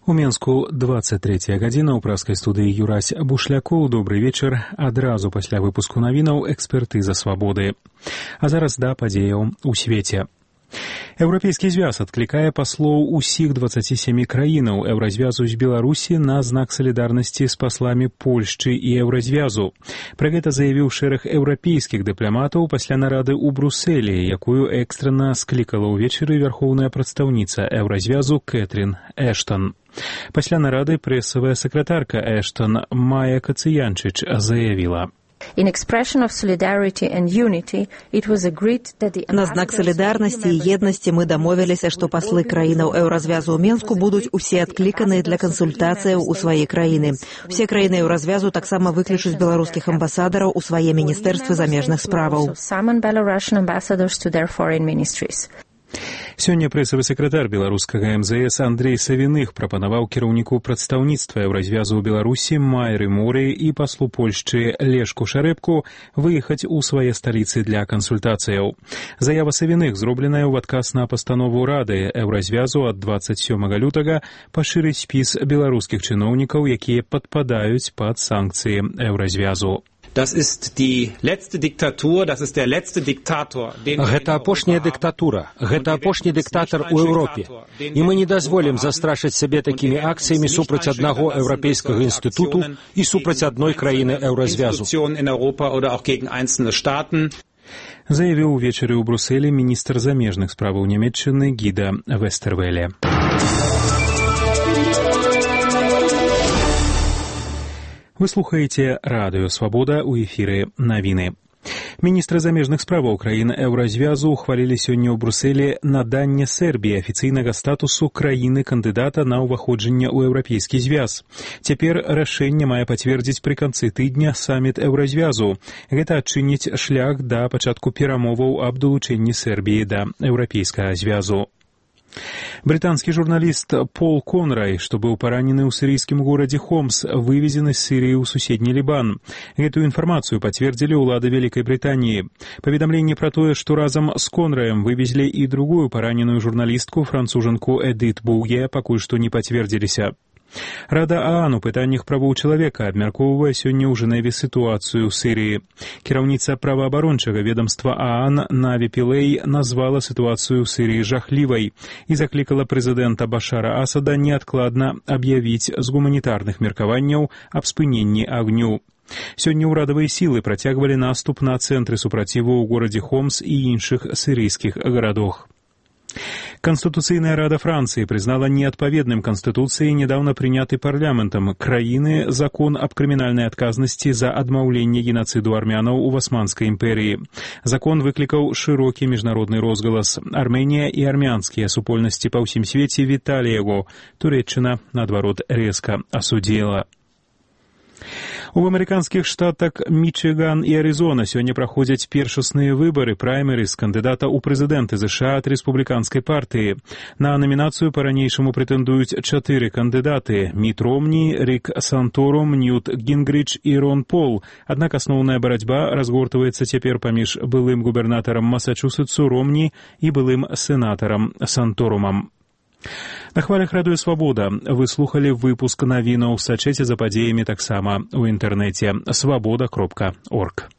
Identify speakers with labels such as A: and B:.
A: У Менску 23 гадзіна ў праскай студыі Юрась Бушлякоў. Добры вечар. Адразу пасля выпуску навінаў экспертыза свабоды. А зараз да падзеяў у свеце. Еўрапейскі звяз адклікае паслоў усіх 27 краінаў еўразвязу з Беларусі на знак салідарнасці з пасламі Польшчы і еўразвязу. Пра гэта заявіў шэраг еўрапейскіх дыпламатаў пасля нарады ў Брусэлі, якую экстрана склікала ўвечары вярхоўная прадстаўніца еўразвязу Кэтрин Эштон. Пасля нарады прэсавая сакратарка Эштон Майя Кацыянчыч заявіла:
B: На знак солідарнасці і еднасці мы дамовіліся, што паслы краінаў еўразвязу ў Менску будуць усе адкліканыя для кансультацыяў у свае краіны. Усе краіны еўразвязу таксама выключаць беларускіх амбасадараў у свае міністэрствы замежных справаў.
A: Сёння прэсавы сакратар беларускага МЗС Андрей Савіных прапанаваў кіраўніку прадстаўніцтва еўразвязу ў Беларусі Майры Муры і паслу Польшчы Лешку Шарэбку выехаць у свае сталіцы для кансультацыяў. Заява Савіных, зробленая ў адказ на пастанову Рады еўразвязу ад 27 лютага, пашырыць спіс беларускіх чыноўнікаў, якія падпадаюць пад санкцыі еўразвязу.
C: Гэта апошняя дыктатура, гэта апошні дыктатар у Еўропе. І мы не дазволім застрашыць сабе такімі акцыямі супраць аднаго еўрапейскага інстытуту і супраць адной краіны еўразвязу.
A: Заявіў увечары ў Брусэлі міністр замежных справаў Нямецчыны Гіда Вестэрвэле. Вы слухаеце радыё «Свабода», у эфіры навіны. Міністры замежных справаў краін еўразвязу ухвалілі сёння ў Брусэлі наданне Сербіі афіцыйнага статусу краіны-кандыдата на ўваходжанне ў еўрапейскі звяз. Цяпер рашэнне мае пацвердзіць пры канцы тыдня саміт еўразвязу. Гэта адчыніць шлях да пачатку перамоваў аб далучэнні Сербіі да еўрапейскага звязу. Брытанскі журналіст Пол Конрай, што быў паранены ў сірыйскім горадзе Хомс, вывезены з Сірыі ў суседні Лібан. Гэтую інфармацыю пацвердзілі ўлады Вялікай Брытаніі. Паведамленне пра тое, што разам з Конраем вывезлі і другую параненую журналістку, францужанку Эдит Боуе, пакуль што не пацвердзіліся. Рада ААН у пытаннях правоў чалавека абмяркоўвае сёння ў Жэневе сітуацыю ў Сірыі. Кіраўніца праваабарончага ведамства ААН Наві Пілэй назвала сітуацыю ў Сірыі жахлівай і заклікала прэзідэнта Башара Асада неадкладна аб'явіць з гуманітарных меркаванняў аб спыненні агню. Сёння ўрадавыя сілы працягвалі наступ на цэнтры супраціву ў горадзе Хомс і іншых сірыйскіх гарадах. Конституцыйная рада Францыі прызнала неадпаведным Канстытуцыі нядаўна прыняты парламентам краіны закон аб крымінальнай адказнасці за адмаўленне генацыду армянаў у Османскай імперыі. Закон выклікаў шырокі міжнародны розгалас. Арменія і армянскія супольнасці па ўсім свеце віталі яго. Турэччына, наадварот, рэзка асудзіла. У амерыканскіх штатах Мічыган і Арызона сёння праходзяць першасныя выбары праймерыз кандыдата ў прэзідэнты ЗША ад рэспубліканскай партыі. На намінацыю па-ранейшаму прэтэндуюць 4 кандыдаты: Міт Ромні, Рік Санторум, Ньют Гінгрыч і Рон Пол. Аднак асноўная барацьба разгортваецца цяпер паміж былым губернатарам Масачусетсу Ромні і былым сенатарам Санторумам. На хвалях радыё «Свабода» вы слухалі выпуск навінаў. Сачыце за падзеямі таксама ў інтэрнэце свабода.орг.